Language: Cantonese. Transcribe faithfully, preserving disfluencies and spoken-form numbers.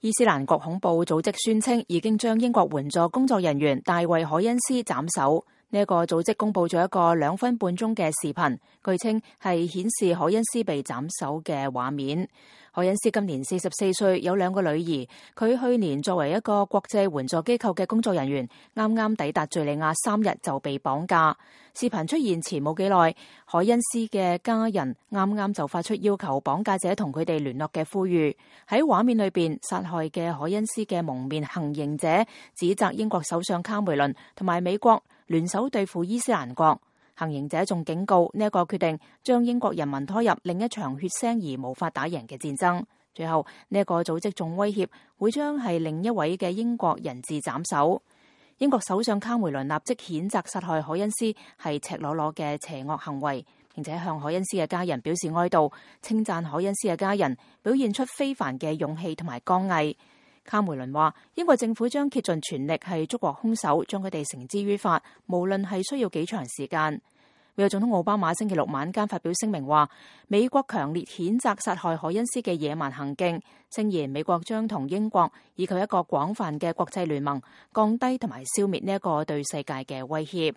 伊斯蘭國恐怖組織宣稱已經將英國援助工作人員大衛凱恩斯斬首。呢一個組織公布咗一個兩分半鐘嘅視頻，據稱係顯示凱恩斯被斬首嘅畫面。凱恩斯今年四十四歲，有兩個女兒。佢去年作為一個國際援助機構嘅工作人員，啱啱抵達敘利亞三日就被綁架。視頻出現前冇幾耐，凱恩斯嘅家人啱啱就發出要求綁架者同佢哋聯絡嘅呼籲。喺畫面裏邊，殺害嘅凱恩斯嘅蒙面行刑者指責英國首相卡梅倫同埋美國聯手對付伊斯蘭國。行刑者仲警告呢一個決定將英國人民拖入另一場血腥而無法打贏嘅戰爭。最後呢一個組織仲威脅會將係另一位嘅英國人質斬首。英國首相卡梅倫立即譴責殺害凱恩斯係赤裸裸嘅邪惡行為，並且向凱恩斯嘅家人表示哀悼，稱讚凱恩斯嘅家人表現出非凡嘅勇氣同埋剛毅。卡梅倫話：英國政府將竭盡全力係捉獲兇手，將佢哋繩之於法，無論係需要幾長時間。美國總統奧巴馬星期六晚間發表聲明話，美國強烈譴責殺害凱恩斯嘅野蠻行徑，聲言美國將同英國以及一個廣泛嘅國際聯盟降低同埋消滅呢一個對世界嘅威脅。